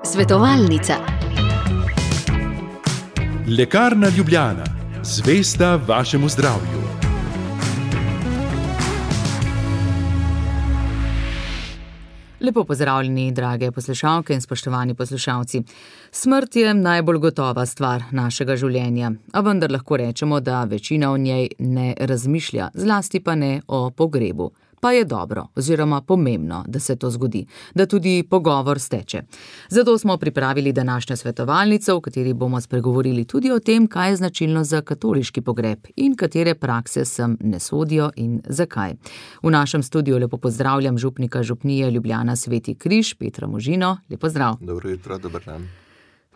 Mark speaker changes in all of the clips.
Speaker 1: Svetovalnica.
Speaker 2: Lekarna Ljubljana, zvesta vašemu zdravju.
Speaker 3: Lepo pozdravljeni, drage poslušalke in spoštovani poslušalci. Smrt je najbolj gotova stvar našega življenja, a vendar lahko rečemo, da večina o njej ne razmišlja, zlasti pa ne o pogrebu. Pa je dobro oziroma pomembno, da se to zgodi, da tudi pogovor steče. Zato smo pripravili današnjo svetovalnico, v kateri bomo spregovorili tudi o tem, kaj je značilno za katoliški pogreb in katere prakse sem ne sodijo in zakaj. V našem studiu lepo pozdravljam župnika župnije Ljubljana Sveti Križ, Petra Možino. Lep pozdrav.
Speaker 4: Dobro jutro, dober dan.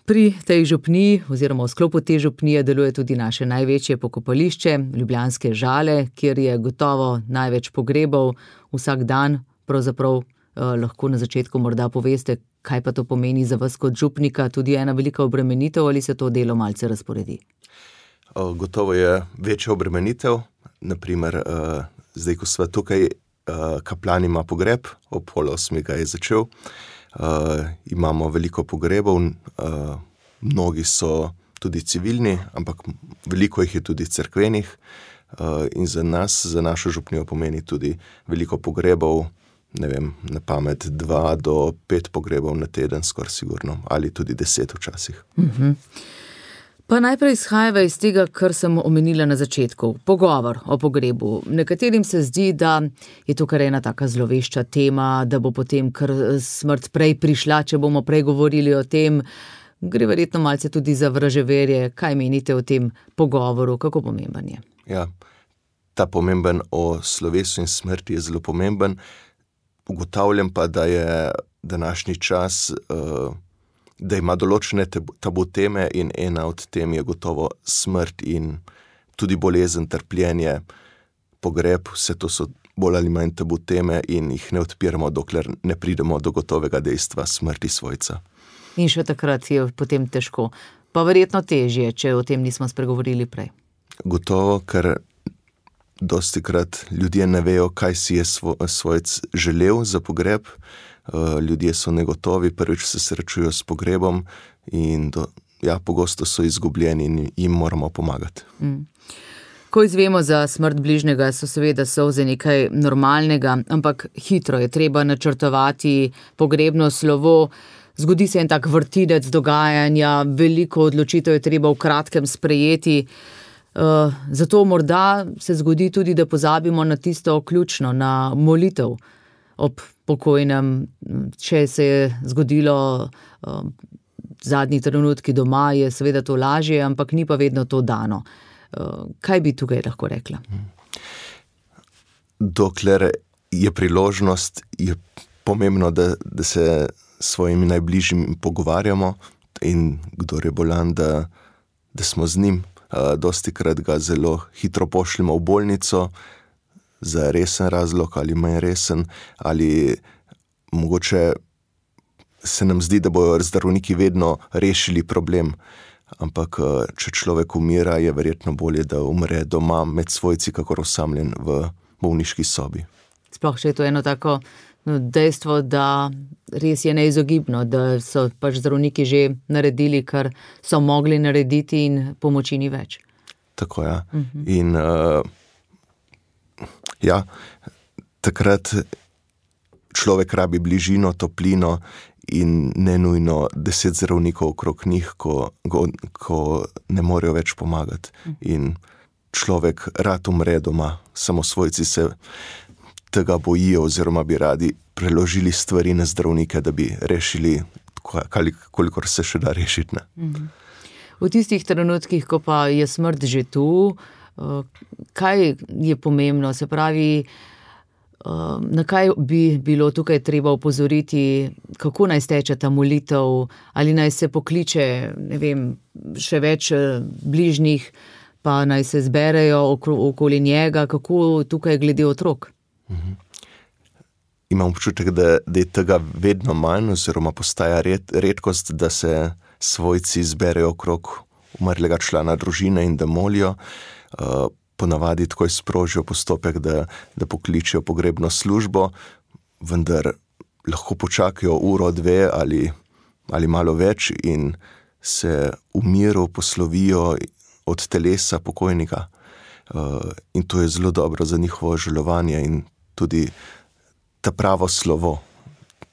Speaker 3: Pri tej župniji oziroma v sklopu te župnije deluje tudi naše največje pokopališče, Ljubljanske Žale, kjer je gotovo največ pogrebov vsak dan. Pravzaprav lahko na začetku morda poveste, kaj pa to pomeni za vas kot župnika, tudi ena velika obremenitev ali se to delo malce razporedi?
Speaker 4: Gotovo je večja obremenitev. Naprimer, zdaj, ko sva tukaj, kaplan ima pogreb, ob 7:30 ga je začel. Imamo veliko pogrebov, mnogi so tudi civilni, ampak veliko jih je tudi cerkvenih, in za nas, za našo župnijo pomeni tudi veliko pogrebov, ne vem, na pamet 2 do 5 pogrebov na teden, skoraj sigurno, ali tudi 10 včasih.
Speaker 3: Pa najprej izhajava iz tega, kar sem omenila na začetku, pogovor o pogrebu. Nekaterim se zdi, da je to kar ena taka zlovešča tema, da bo potem kar smrt prej prišla, če bomo prej govorili o tem. Gre verjetno malce tudi za vraževerje. Kaj menite o tem pogovoru, kako pomemben je?
Speaker 4: Ja, ta pomemben o slovesu in smrti je zelo pomemben. Ugotavljam pa, da je današnji čas, da ima določene tabu teme in ena od tem je gotovo smrt in tudi bolezen, trpljenje, pogreb. Vse to so bolj ali manj tabu teme in jih ne odpiramo, dokler ne pridemo do gotovega dejstva smrti svojca.
Speaker 3: In še takrat je potem težko. Pa verjetno težje, če o tem nismo spregovorili prej.
Speaker 4: Gotovo, ker dostikrat ljudje ne vejo, kaj si je svojec želel za pogreb. Ljudje so negotovi, prvič se srečujo s pogrebom in pogosto so izgubljeni in jim moramo pomagati.
Speaker 3: Ko izvemo za smrt bližnjega, so seveda solze nekaj normalnega, ampak hitro je treba načrtovati pogrebno slovo. Zgodi se en tak vrtinec dogajanja, veliko odločitev je treba v kratkem sprejeti. Zato morda se zgodi tudi, da pozabimo na tisto ključno, na molitev ob pokojnem. Če se je zgodilo zadnji trenutki doma, je seveda to lažje, ampak ni pa vedno to dano. Kaj bi tukaj lahko rekla?
Speaker 4: Dokler je priložnost, je pomembno, da se s svojimi najbližjimi pogovarjamo in kdor je bolan, da smo z njim. Dostikrat ga zelo hitro pošljemo v bolnico za resen razlog ali manj resen, ali mogoče se nam zdi, da bojo zdravniki vedno rešili problem. Ampak če človek umira, je verjetno bolje, da umre doma med svojci, kakor osamljen v bolniški sobi.
Speaker 3: Sploh še je to eno tako dejstvo, da res je neizogibno, da so pač zdravniki že naredili, kar so mogli narediti in pomoči ni več.
Speaker 4: Tako, ja. In takrat človek rabi bližino, toplino in ne nujno 10 zdravnikov okrog njih, ko ne morejo več pomagati. In človek rad umre doma, samo svojci se tega bojijo oziroma bi radi preložili stvari na zdravnike, da bi rešili, kolikor se še da rešiti.
Speaker 3: V tistih trenutkih, ko pa je smrt že tu, kaj je pomembno? Se pravi, na kaj bi bilo tukaj treba opozoriti, kako naj steče ta molitev, ali naj se pokliče, ne vem, še več bližnjih, pa naj se zberejo okoli njega, kako tukaj glede otrok?
Speaker 4: Imam občutek, da je tega vedno manj oziroma postaja redkost, da se svojci zberejo okrog umrlega člana družine in da molijo. Ponavadi takoj sprožijo postopek, da pokličejo pogrebno službo, vendar lahko počakajo uro, dve ali malo več in se v miru poslovijo od telesa pokojnika. In to je zelo dobro za njihovo žalovanje in tudi ta pravo slovo.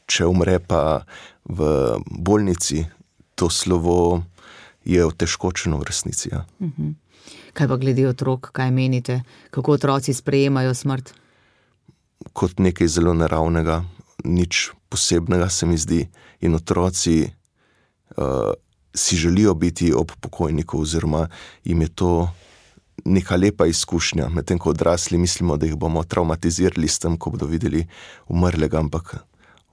Speaker 4: Če umre pa v bolnici, to slovo je otežkočeno v resnici. Ja.
Speaker 3: Kaj pa glede otrok, kaj menite? Kako otroci sprejemajo smrt?
Speaker 4: Kot nekaj zelo naravnega, nič posebnega se mi zdi. In otroci si želijo biti ob pokojniku oziroma jim je to neka lepa izkušnja. Medtem ko odrasli mislimo, da jih bomo traumatizirali s tem, ko bodo videli umrlega, ampak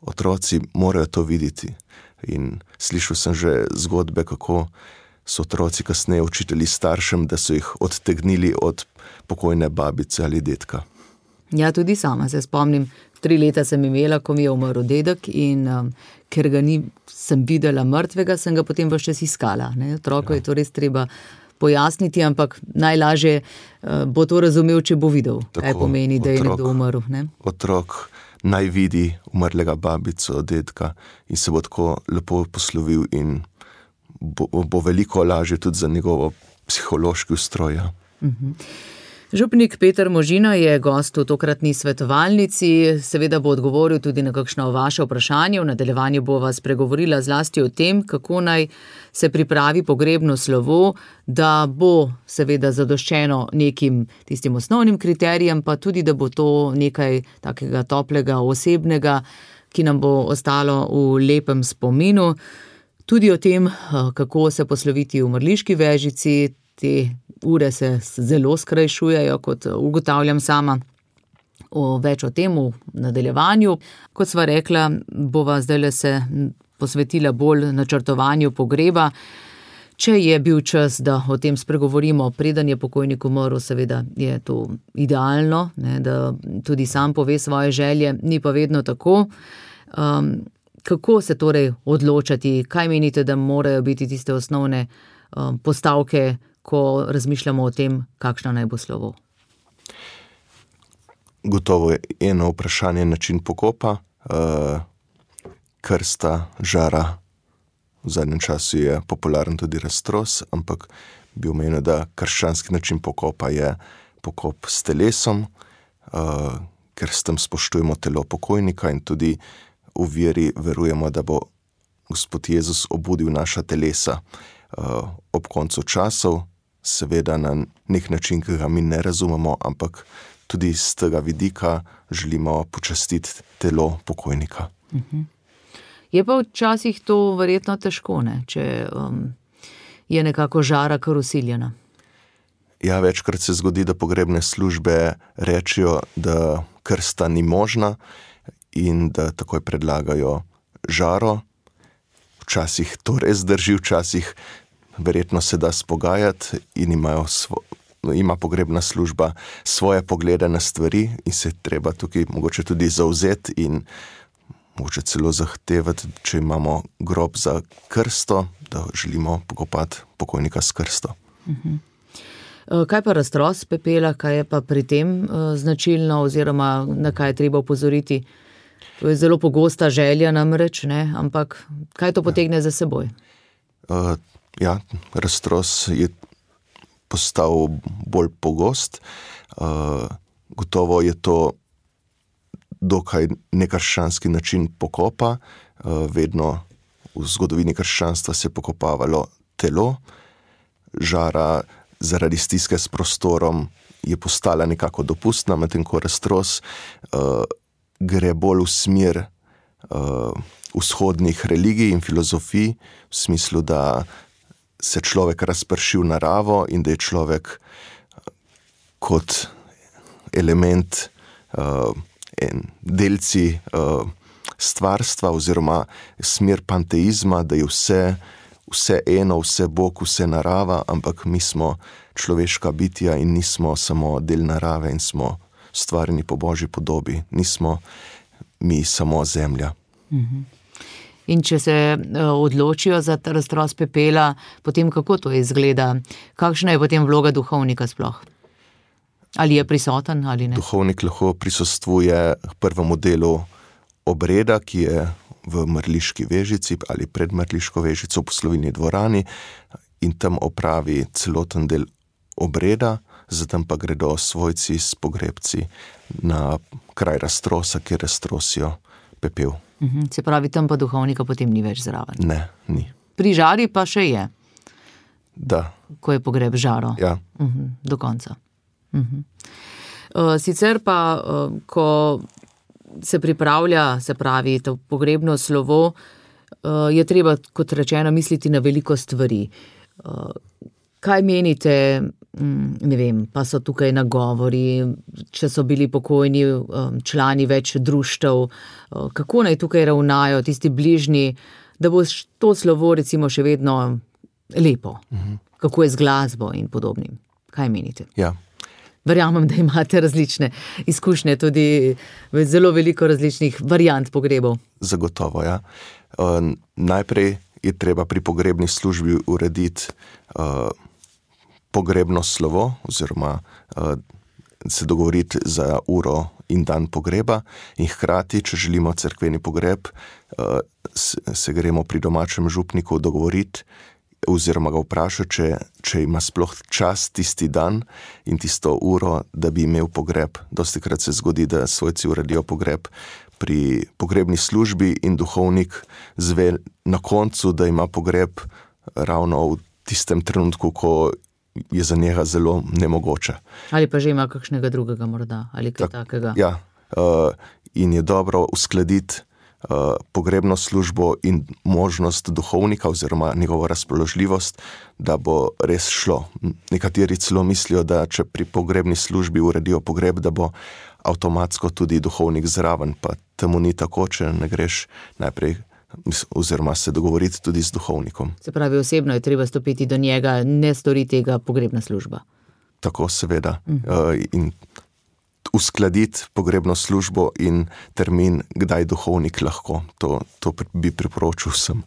Speaker 4: otroci morajo to videti. In slišal sem že zgodbe, kako so otroci kasneje učitelji staršem, da so jih odtegnili od pokojne babice ali dedka.
Speaker 3: Ja, tudi sama se spomnim. 3 leta sem imela, ko mi je umrl dedek in ker ga sem videla mrtvega, sem ga potem ves čas iskala. Otroku je to res treba pojasniti, ampak najlažje bo to razumel, če bo videl, kaj pomeni, da je nekdo umrl. Ne?
Speaker 4: Otrok naj vidi umrlega babico, dedka in se bo tako lepo poslovil in bo veliko lažje tudi za njegovo psihološki ustroj.
Speaker 3: Župnik Peter Možina je gost v tokratni svetovalnici, seveda bo odgovoril tudi na kakšno vaše vprašanje. V nadaljevanju bova spregovorila zlasti o tem, kako naj se pripravi pogrebno slovo, da bo seveda zadoščeno nekim tistim osnovnim kriterijem, pa tudi, da bo to nekaj takega toplega, osebnega, ki nam bo ostalo v lepem spominu. Tudi o tem, kako se posloviti v mrliški vežici, te ure se zelo skrajšujejo, kot ugotavljam sama. Več o tem v nadaljevanju. Kot sva rekla, bova zdajle se posvetila bolj načrtovanju pogreba. Če je bil čas, da o tem spregovorimo, preden je pokojnik umrl, seveda je to idealno, da tudi sam pove svoje želje, ni pa vedno tako. Kako se torej odločati, kaj menite, da morajo biti tiste osnovne postavke, ko razmišljamo o tem, kakšno naj bo slovo?
Speaker 4: Gotovo je eno vprašanje način pokopa. Krsta, žara, v zadnjem času je popularen tudi raztros, ampak bi omenil, da krščanski način pokopa je pokop s telesom, ker s tem spoštujemo telo pokojnika in tudi v veri verujemo, da bo Gospod Jezus obudil naša telesa ob koncu časov, seveda na nek način, ki ga mi ne razumemo, ampak tudi z tega vidika želimo počastiti telo pokojnika.
Speaker 3: Je pa včasih to verjetno težko, če je nekako žara kar usiljena.
Speaker 4: Ja, večkrat se zgodi, da pogrebne službe rečejo, da krsta ni možna in da takoj predlagajo žaro. Včasih to res drži, včasih verjetno se da spogajati in ima pogrebna služba svoje poglede na stvari in se treba tukaj mogoče tudi zavzeti in mogoče celo zahtevati, če imamo grob za krsto, da želimo pokopati pokojnika s krsto.
Speaker 3: Kaj pa raztros pepela, kaj je pa pri tem značilno oziroma na kaj je treba opozoriti? To je zelo pogosta želja namreč, ampak kaj to potegne za seboj? Raztros je postal bolj pogost. Gotovo je to dokaj nekrščanski način pokopa. Vedno v zgodovini krščanstva se je pokopavalo telo. Žara zaradi stiske s prostorom je postala nekako dopustna, medtem ko raztros gre bolj v smer vzhodnih religij in filozofij, v smislu, da se človek razprši v naravo in da je človek kot element, delci stvarstva oziroma smer panteizma, da je vse eno, vse Bog, vse narava, ampak mi smo človeška bitja in nismo samo del narave in smo stvarjeni po Božji podobi. Nismo mi samo zemlja. In če se odločijo za raztros pepela, potem kako to izgleda? Kakšna je potem vloga duhovnika sploh? Ali je prisoten ali ne?
Speaker 4: Duhovnik lahko prisostvuje prvemu delu obreda, ki je v Mrliški Vežici ali pred Mrliško Vežico v Poslovilni dvorani in tam opravi celoten del obreda, zatem pa gredo svojci s pogrebci na kraj raztrosa, kjer raztrosijo pepel.
Speaker 3: Se pravi, tam pa duhovnika potem ni več zraven.
Speaker 4: Ne, ni.
Speaker 3: Pri žari pa še je.
Speaker 4: Da.
Speaker 3: Ko je pogreb žaro.
Speaker 4: Ja.
Speaker 3: Do konca. Sicer pa, ko se pripravlja, se pravi, to pogrebno slovo, je treba, kot rečeno, misliti na veliko stvari. Kaj menite, ne vem, pa so tukaj nagovori, če so bili pokojni člani več društev, kako naj tukaj ravnajo tisti bližnji, da bo to slovo recimo še vedno lepo, kako je z glasbo in podobnim. Kaj menite?
Speaker 4: Ja.
Speaker 3: Verjamem, da imate različne izkušnje, tudi zelo veliko različnih variant pogrebov.
Speaker 4: Zagotovo, ja. Najprej je treba pri pogrebni službi urediti pogrebno slovo oziroma se dogovoriti za uro in dan pogreba in hkrati, če želimo cerkveni pogreb, se gremo pri domačem župniku dogovoriti oziroma ga vprašati, če ima sploh čas tisti dan in tisto uro, da bi imel pogreb. Dostikrat se zgodi, da svojci uredijo pogreb pri pogrebni službi in duhovnik zve na koncu, da ima pogreb ravno v tistem trenutku, ko je za njega zelo nemogoče.
Speaker 3: Ali pa že ima kakšnega drugega morda, ali kaj takega.
Speaker 4: Ja, in je dobro uskladiti pogrebno službo in možnost duhovnika oziroma njegovo razpoložljivost, da bo res šlo. Nekateri celo mislijo, da če pri pogrebni službi uredijo pogreb, da bo avtomatsko tudi duhovnik zraven, pa temu ni tako, če ne greš najprej oziroma se dogovoriti tudi z duhovnikom.
Speaker 3: Se pravi, osebno je treba stopiti do njega, ne stori tega pogrebna služba.
Speaker 4: Tako, seveda. In uskladiti pogrebno službo in termin, kdaj duhovnik lahko. To bi priporočil vsem.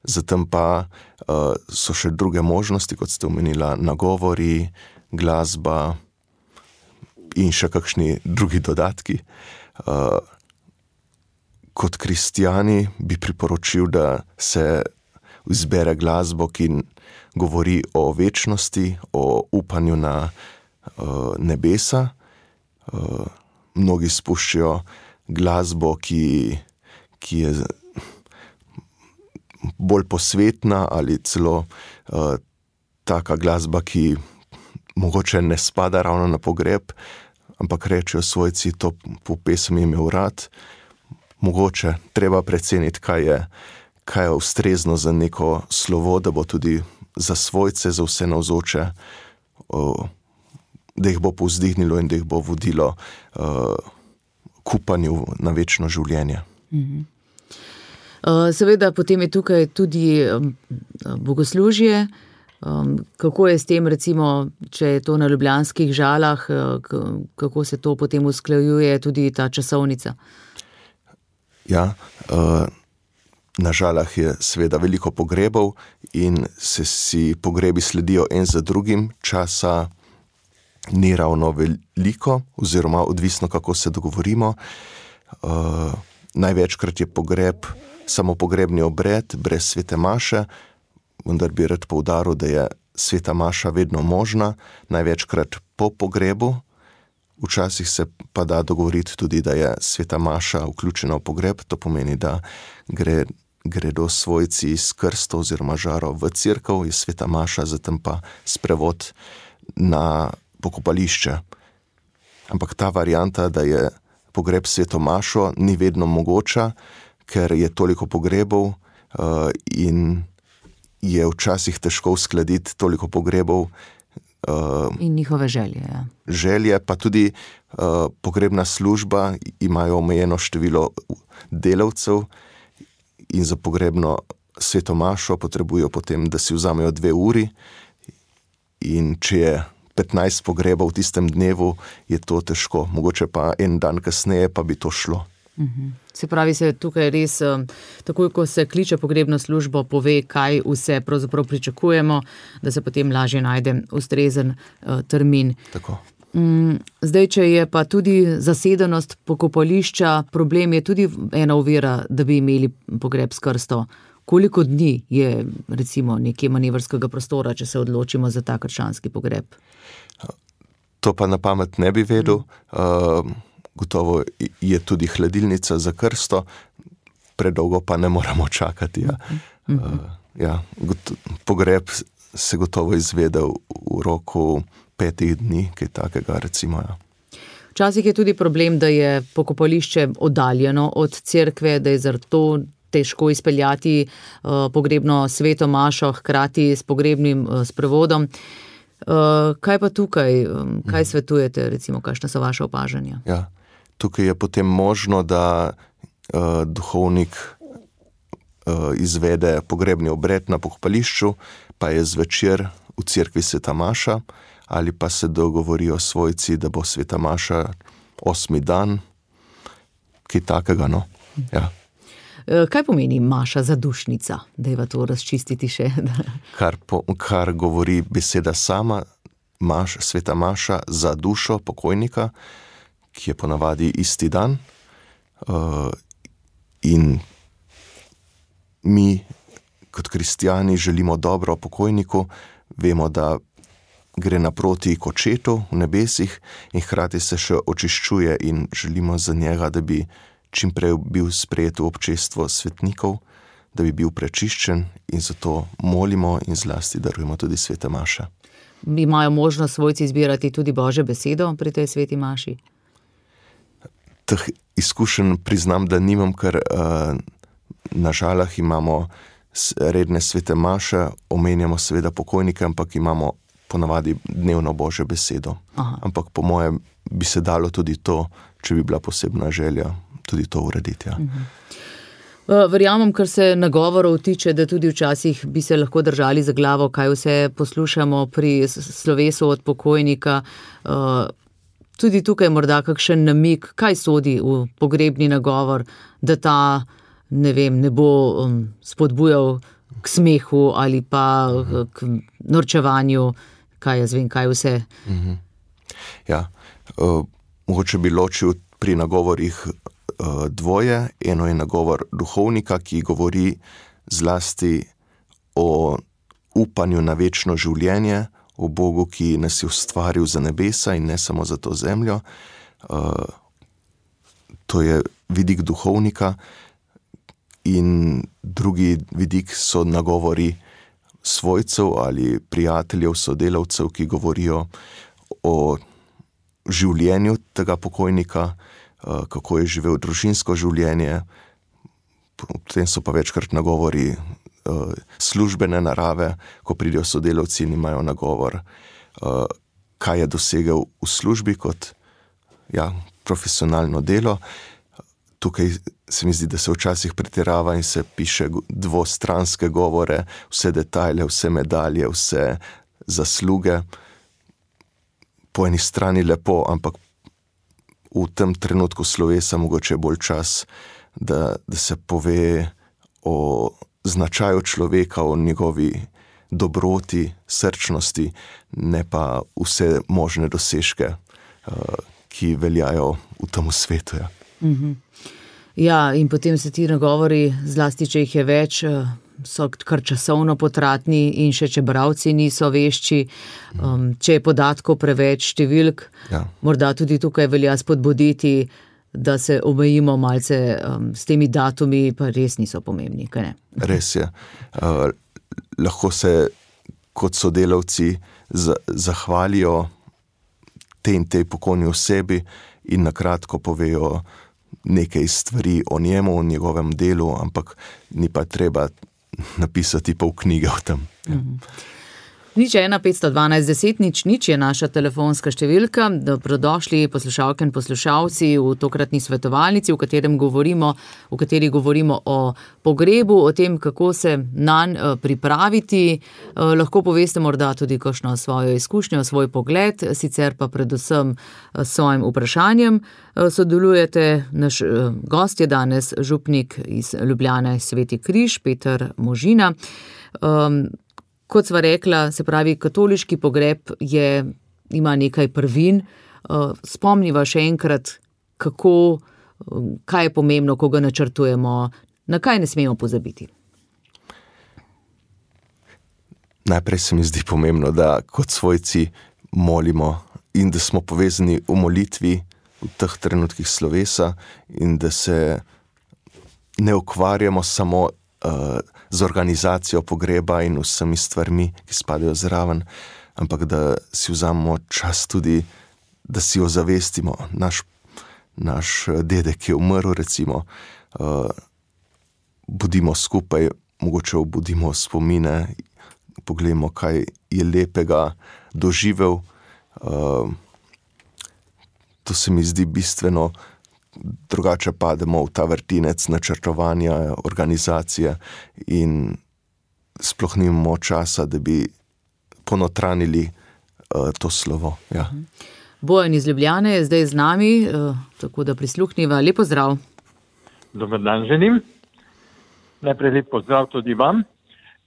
Speaker 4: Zatem pa so še druge možnosti, kot ste omenila, nagovori, glasba in še kakšni drugi dodatki. Kot kristjani bi priporočil, da se izbere glasbo, ki govori o večnosti, o upanju na nebesa. Mnogi spuščajo glasbo, ki je bolj posvetna ali celo taka glasba, ki mogoče ne spada ravno na pogreb, ampak rečejo svojci, to po pesmi imel rad. Mogoče treba preceniti, kaj je ustrezno za neko slovo, da bo tudi za svojce, za vse navzoče, da jih bo povzdignilo in da jih bo vodilo k upanju na večno življenje.
Speaker 3: Seveda potem je tukaj tudi bogoslužje. Kako je s tem, recimo, če je to na ljubljanskih Žalah, kako se to potem usklajuje tudi ta časovnica?
Speaker 4: Ja, na Žalah je seveda veliko pogrebov in si pogrebi sledijo en za drugim, časa ni ravno veliko, oziroma odvisno, kako se dogovorimo. Največkrat je pogreb samo pogrebni obred, brez svete maše, vendar bi rad poudaril, da je sveta maša vedno možna, največkrat po pogrebu. Včasih se pa da dogovoriti tudi, da je sveta maša vključena v pogreb, to pomeni, da gredo svojci s krsto oziroma žaro v cerkev, je sveta maša, zatem pa sprevod na pokopališče. Ampak ta varianta, da je pogreb sveto mašo, ni vedno mogoča, ker je toliko pogrebov in je včasih težko uskladiti toliko pogrebov.
Speaker 3: In njihove želje, ja.
Speaker 4: Želje, pa tudi pogrebna služba imajo omejeno število delavcev in za pogrebno sveto mašo potrebujo potem, da si vzamejo 2 uri in če je 15 pogrebov v tistem dnevu, je to težko. Mogoče pa en dan kasneje pa bi to šlo.
Speaker 3: Se pravi, se tukaj res, takoj ko se kliče pogrebno službo, pove, kaj vse pravzaprav pričakujemo, da se potem lažje najde ustrezen termin.
Speaker 4: Tako.
Speaker 3: Zdaj, če je pa tudi zasedenost pokopališča, problem je tudi ena ovira, da bi imeli pogreb s krsto. Koliko dni je recimo nekje manevrskega prostora, če se odločimo za ta krščanski pogreb?
Speaker 4: To pa na pamet ne bi vedel. Gotovo je tudi hladilnica za krsto, predolgo pa ne moramo čakati. Pogreb se gotovo izvede v roku 5 dni, kaj takega recimo.
Speaker 3: Včasih je tudi problem, da je pokopališče oddaljeno od cerkve, da je zato težko izpeljati pogrebno sveto mašo hkrati s pogrebnim sprevodom. Kaj pa tukaj? Kaj svetujete, recimo, kakšna so vaše opažanja?
Speaker 4: Ja, tukaj je potem možno, da duhovnik izvede pogrebni obred na pokopališču, pa je zvečer v cerkvi sveta maša, ali pa se dogovorijo svojci, da bo sveta maša 8. dan, kaj takega, no? Ja.
Speaker 3: Kaj pomeni maša zadušnica? Dajva to razčistiti še.
Speaker 4: Kar govori beseda sama, sveta maša za dušo pokojnika, ki je ponavadi isti dan. In mi kot kristjani želimo dobro pokojniku, vemo, da gre naproti k očetu v nebesih in hkrati se še očiščuje in želimo za njega, da bi čim prej bil sprejet v občestvo svetnikov, da bi bil prečiščen, in zato molimo in zlasti darujemo tudi svete maše.
Speaker 3: Imajo možnost svojci izbirati tudi Božjo besedo pri tej sveti maši?
Speaker 4: Teh izkušenj priznam, da nimam, ker na Žalah imamo redne svete maše, omenjamo seveda pokojnike, ampak imamo ponavadi dnevno Božjo besedo. Aha. Ampak po mojem bi se dalo tudi to, če bi bila posebna želja, tudi to urediti. Ja.
Speaker 3: Verjamem, kar se nagovorov tiče, da tudi včasih bi se lahko držali za glavo, kaj vse poslušamo pri slovesu od pokojnika. Tudi tukaj morda kakšen namig, kaj sodi v pogrebni nagovor, da ta, ne bo spodbujal k smehu ali pa k norčevanju, kaj jaz vem, kaj vse.
Speaker 4: Ja, mogoče bi ločil pri nagovorih dvoje. Eno je nagovor duhovnika, ki govori zlasti o upanju na večno življenje, o Bogu, ki nas je ustvaril za nebesa in ne samo za to zemljo. To je vidik duhovnika. In drugi vidik so nagovori svojcev ali prijateljev, sodelavcev, ki govorijo o življenju tega pokojnika, kako je živel družinsko življenje. Potem so pa večkrat nagovori službene narave, ko pridejo sodelavci in imajo nagovor, kaj je dosegel v službi kot profesionalno delo. Tukaj se mi zdi, da se včasih pretirava in se piše dvostranske govore, vse detajle, vse medalje, vse zasluge. Po eni strani lepo, ampak v tem trenutku slovesa mogoče bolj čas, da se pove o značaju človeka, o njegovi dobroti, srčnosti, ne pa vse možne dosežke, ki veljajo v tem svetu. Ja.
Speaker 3: Ja, in potem se ti nagovori, zlasti če jih je več, so kar časovno potratni in še če bralci niso vešči, če je podatkov preveč, številk, morda tudi tukaj velja spodbuditi, da se omejimo malce s temi datumi, pa res niso pomembni, kaj ne?
Speaker 4: Res je. Lahko se kot sodelavci zahvalijo tej pokojni osebi in na kratko povejo nekaj stvari o njemu, o njegovem delu, ampak ni pa treba napisati pol knjige o tem.
Speaker 3: 01 512 10 0 je naša telefonska številka. Dobrodošli poslušalke in poslušalci v tokratni svetovalnici, v kateri govorimo o pogrebu, o tem, kako se nanj pripraviti. Lahko poveste morda tudi kakšno svojo izkušnjo, svoj pogled, sicer pa predvsem s svojim vprašanjem. Sodelujete, naš gost je danes župnik iz Ljubljane Sveti Križ, Peter Možina. Kot sva rekla, se pravi, katoliški pogreb je ima nekaj prvin. Spomniva še enkrat, kaj je pomembno, ko ga načrtujemo, na kaj ne smemo pozabiti.
Speaker 4: Najprej se mi zdi pomembno, da kot svojci molimo in da smo povezani v molitvi v teh trenutkih slovesa in da se ne ukvarjamo samo z organizacijo pogreba in vsemi stvarmi, ki spadajo zraven, ampak da si vzamemo čas tudi, da si ozavestimo. Naš dedek je umrl, recimo, budimo skupaj, mogoče obudimo spomine, pogledamo, kaj je lepega doživel. To se mi zdi bistveno, drugače pademo v ta vrtinec načrtovanja, organizacije in sploh nimamo časa, da bi ponotranili to slovo. Ja.
Speaker 3: Bojan iz Ljubljane je zdaj z nami, tako da prisluhniva. Lep pozdrav.
Speaker 5: Dober dan želim. Najprej lep pozdrav tudi vam.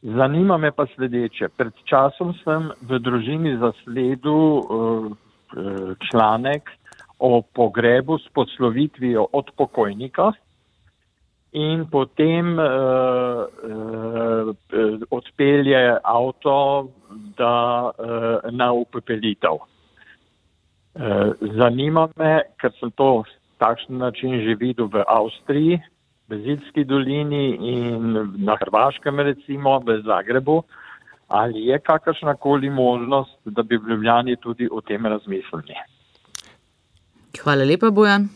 Speaker 5: Zanima me pa sledeče. Pred časom sem v družini zasledil članek o pogrebu s poslovitvijo od pokojnika in potem odpelje avto na upepelitev. Zanima me, ker sem to takšen način že videl v Avstriji, v Zilski dolini in na Hrvaškem recimo, v Zagrebu, ali je kakršnakoli možnost, da bi v Ljubljani tudi o tem razmislili?
Speaker 3: Hvala lepa, Bojan.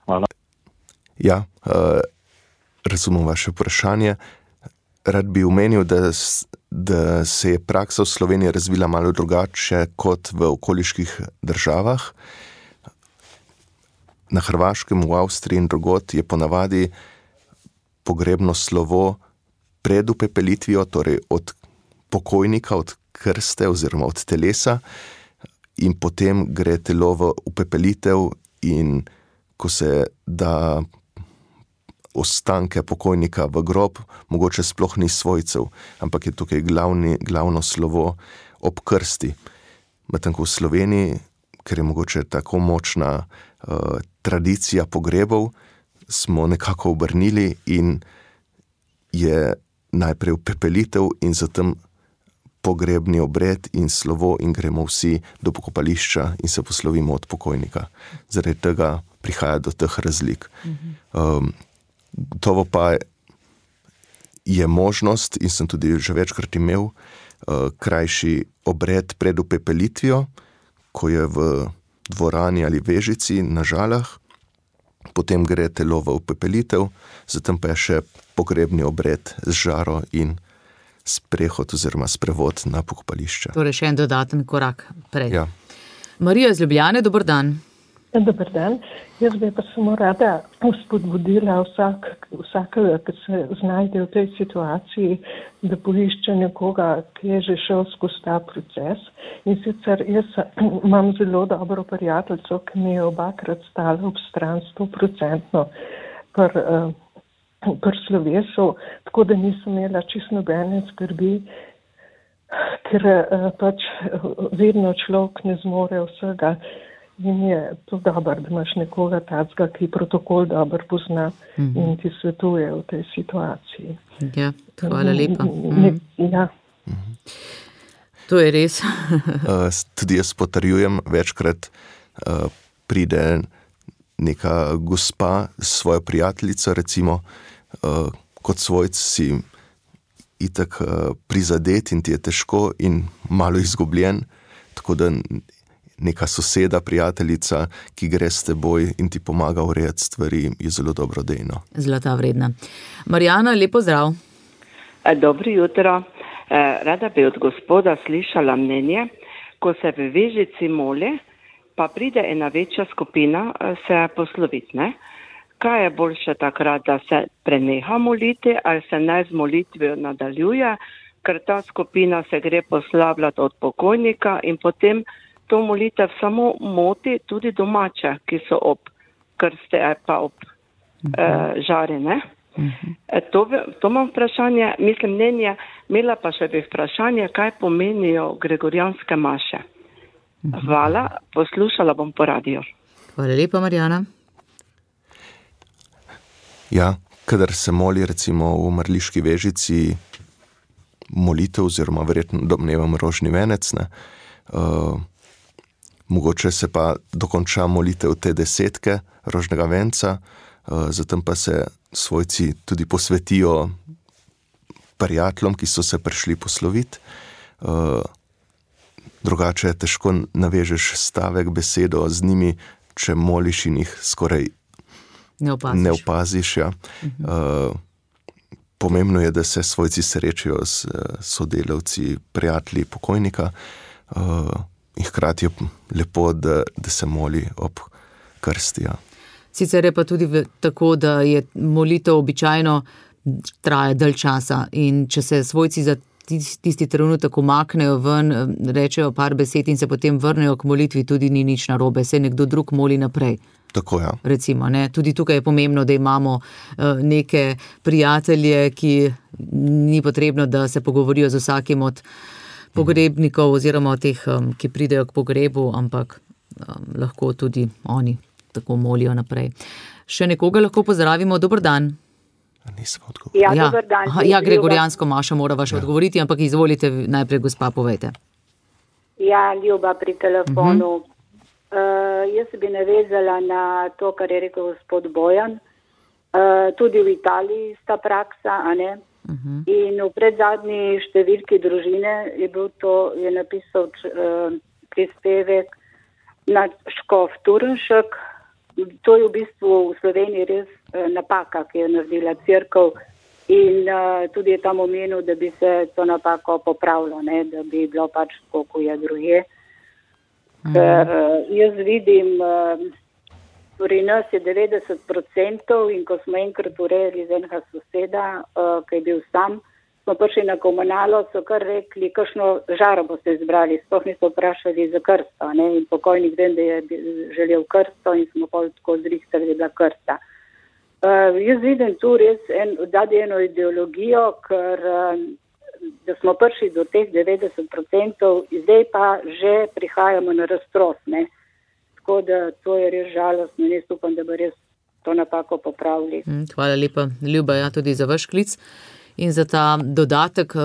Speaker 5: Hvala.
Speaker 4: Ja, razumem vaše vprašanje. Rad bi omenil, da se je praksa v Sloveniji razvila malo drugače kot v okoliških državah. Na Hrvaškem, v Avstriji in drugod je ponavadi pogrebno slovo pred upepelitvijo, torej od pokojnika, od krste oziroma od telesa, in potem gre telo v upepelitev in ko se da ostanke pokojnika v grob, mogoče sploh ni svojcev, ampak je tukaj glavno slovo ob krsti. Medtem ko v Sloveniji, ker je mogoče tako močna tradicija pogrebov, smo nekako obrnili in je najprej upepelitev in zatem pogrebni obred in slovo in gremo vsi do pokopališča in se poslovimo od pokojnika. Zaradi tega prihaja do teh razlik. Gotovo pa je možnost, in sem tudi že večkrat imel, krajši obred pred upepelitvijo, ko je v dvorani ali vežici na Žalah, potem gre telo v upepelitev, zatem pa je še pogrebni obred z žaro in sprehod oziroma sprevod na pokopališče.
Speaker 3: Torej še en dodaten korak prej.
Speaker 4: Ja.
Speaker 3: Marija iz Ljubljane, dober dan.
Speaker 6: Dober dan. Jaz bi pa samo rada spodbudila vsakega, ki se znajde v tej situaciji, da poišče nekoga, ki je že šel skozi ta proces. In sicer jaz imam zelo dobro prijateljico, ki mi je obakrat stala ob stran 100% pri slovesu, tako da nisem imela čisto nobene skrbi, ker pač vedno človek ne zmore vsega. In je to dobro, da imaš nekoga tacga, ki protokol dobro pozna in ti svetuje v tej situaciji.
Speaker 3: Ja, hvala lepa.
Speaker 6: Ja.
Speaker 3: To je res.
Speaker 4: Tudi jaz potrjujem, večkrat pride neka gospa s svojo prijateljico, recimo, kot svojc si itak prizadet in ti je težko in malo izgubljen, tako da neka soseda, prijateljica, ki gre s teboj in ti pomaga urejati stvari, je zelo dobrodejno.
Speaker 3: Zlata vredna. Marijana, lep pozdrav.
Speaker 7: Dobro jutro. Rada bi od gospoda slišala mnenje, ko se v vežici moli, pa pride ena večja skupina se posloviti, ne? Kaj je boljše takrat, da se preneha moliti ali se naj z molitvijo nadaljuje, ker ta skupina se gre poslavljati od pokojnika in potem to molitev samo moti tudi domače, ki so ob krste ali pa ob žari, ne? To imam vprašanje, mislim mnenje, imela pa še bi vprašanje, kaj pomenijo gregorijanske maše. Hvala, poslušala bom po radiju.
Speaker 3: Hvala lepa, Marjana.
Speaker 4: Ja, kadar se moli recimo v Marliški Vežici molitev oziroma verjetno domnevam rožni venec, ne, mogoče se pa dokonča molitev te 10 rožnega venca, zatem pa se svojci tudi posvetijo prijateljem, ki so se prišli posloviti. Drugače težko navežeš stavek, besedo z njimi, če moliš in jih skoraj ne opaziš. Ja. Pomembno je, da se svojci srečajo s sodelavci, prijatelji pokojnika, in hkrati je lepo, da se moli ob krsti. Ja.
Speaker 3: Sicer je pa tudi tako, da je molitev običajno traja dalj časa in če se svojci za tisti trenutek umaknejo ven, rečejo par besed in se potem vrnejo k molitvi, tudi ni nič narobe, se nekdo drug moli naprej.
Speaker 4: Tako, ja.
Speaker 3: Recimo, ne? Tudi tukaj je pomembno, da imamo neke prijatelje, ki ni potrebno, da se pogovorijo z vsakim od pogrebnikov oziroma od teh, ki pridejo k pogrebu, ampak lahko tudi oni tako molijo naprej. Še nekoga lahko pozdravimo, dober dan.
Speaker 8: Dober dan.
Speaker 3: Ja, gregorijansko mašo morava še odgovoriti, ampak izvolite najprej, gospa, povejte.
Speaker 8: Ja, Ljuba pri telefonu. Jaz bi navezala na to, kar je rekel gospod Bojan. Tudi v Italiji sta praksa, a ne? In v predzadnji številki družine je napisal prispevek na škof Turnšek. To je v bistvu v Sloveniji res napaka, ki je naredila cerkev, in tudi je tam omenil, da bi se to napako popravilo, ne? Da bi bilo pač tako, ko je drugje. Ker jaz vidim, pri nas je 90% in ko smo enkrat urejali z enega soseda, ki je bil sam, smo prišli na komunalo, so kar rekli, kakšno žaro boste izbrali, sploh niso vprašali za krsto, ne? In pokojnik vem, da je želel krsto in smo pa tako zrihtali, da je bila krsta. Jaz vidim tu res eno ideologijo, ker da smo prišli do teh 90%, zdaj pa že prihajamo na raztros, ne? Tako da to je res žalostno in jaz upam, da bo res to napako popravili.
Speaker 3: Hvala lepa, Ljuba, ja, tudi za vaš klic in za ta dodatek.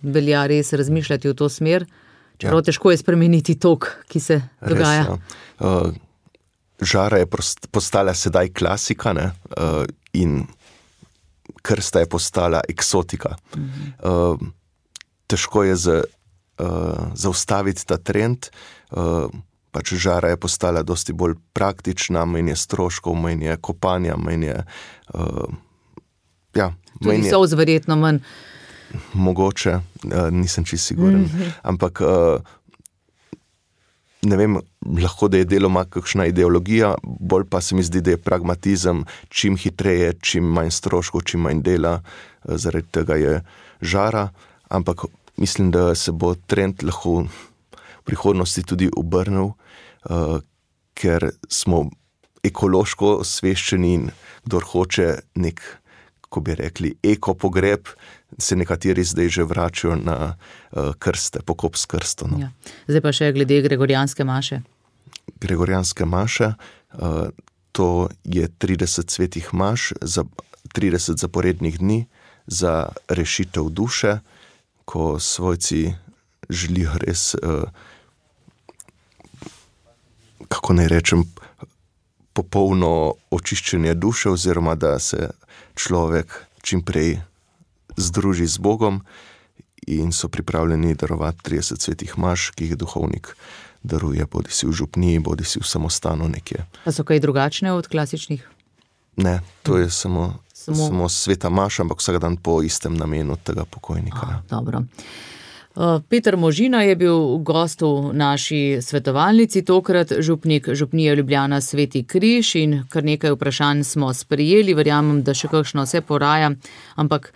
Speaker 3: Velja res razmišljati v to smer, čeprav težko je spremeniti tok, ki se dogaja.
Speaker 4: Res, ja. Žara je postala sedaj klasika, ne? In krsta je postala eksotika. Težko je zaustaviti ta trend, pač žara je postala dosti bolj praktična, manj je stroškov, manj je kopanja, manj je...
Speaker 3: Tudi solz verjetno manj.
Speaker 4: Mogoče, nisem čisto siguren, ampak ne vem, lahko da je deloma kakšna ideologija, bolj pa se mi zdi, da je pragmatizem, čim hitreje, čim manj stroškov, čim manj dela, zaradi tega je žara, ampak mislim, da se bo trend lahko v prihodnosti tudi obrnil, ker smo ekološko osveščeni in kdor hoče nek, ko bi rekli, eko pogreb, se nekateri zdaj že vračajo na krste, pokop s krstom. No.
Speaker 3: Ja. Zdaj pa še glede gregorijanske maše.
Speaker 4: Gregorijanske maše, to je 30 svetih maš za 30 zaporednih dni za rešitev duše, ko svojci želijo res, kako naj rečem, popolno očiščenje duše, oziroma da se človek čim prej združi z Bogom in so pripravljeni darovati 30 svetih maš, ki jih duhovnik daruje, bodi si v župniji, bodi si v samostanu nekje.
Speaker 3: Pa so kaj drugačne od klasičnih?
Speaker 4: Ne, to je samo sveta maša, ampak vsak dan po istem namenu tega pokojnika.
Speaker 3: Dobro. Peter Možina je bil gost v naši svetovalnici, tokrat župnik župnije Ljubljana Sveti Križ, in kar nekaj vprašanj smo sprejeli, verjamem, da še kakšno se poraja, ampak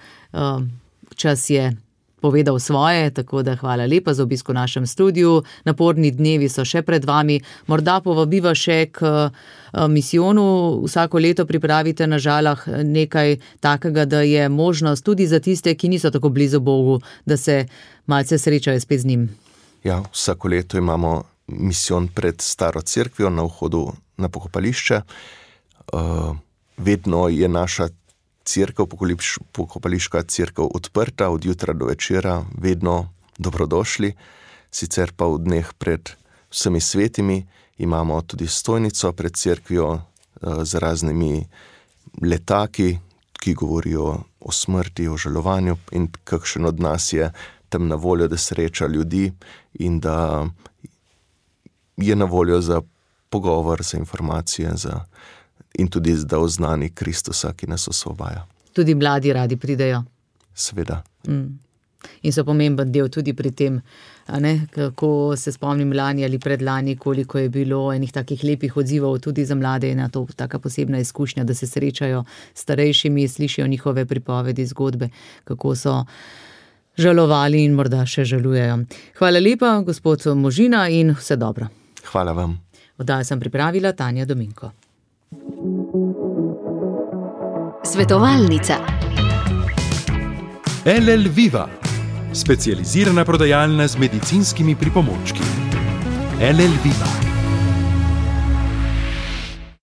Speaker 3: čas je povedal svoje, tako da hvala lepa za obisk v našem studiu. Naporni dnevi so še pred vami, morda povabiva še k misijonu. Vsako leto pripravite na Žalah nekaj takega, da je možnost tudi za tiste, ki niso tako blizu Bogu, da se malce srečajo spet z njim.
Speaker 4: Ja, vsako leto imamo misijon pred staro cerkvijo na vhodu na pokopališče. Vedno je naša cerkev, pokopališka cerkev odprta od jutra do večera, vedno dobrodošli. Sicer pa v dneh pred vsemi svetimi imamo tudi stojnico pred cerkvijo z raznimi letaki, ki govorijo o smrti, o žalovanju in kakšen od nas je tam na voljo, da sreča ljudi in da je na voljo za pogovor, za informacije in tudi da oznani Kristusa, ki nas osvobaja.
Speaker 3: Tudi mladi radi pridejo.
Speaker 4: Seveda.
Speaker 3: In so pomemben del tudi pri tem, kako se spomnim lani ali predlani, koliko je bilo enih takih lepih odzivov tudi za mlade, na to taka posebna izkušnja, da se srečajo s starejšimi, slišijo njihove pripovedi, zgodbe, kako so žalovali in morda še žalujejo. Hvala lepa, gospod Možina, in vse dobro.
Speaker 4: Hvala vam.
Speaker 3: Oddajo sem pripravila Tanja Dominko.
Speaker 1: Svetovalnica.
Speaker 2: LL Viva, specializirana prodajalna z medicinskimi pripomočki. LL Viva.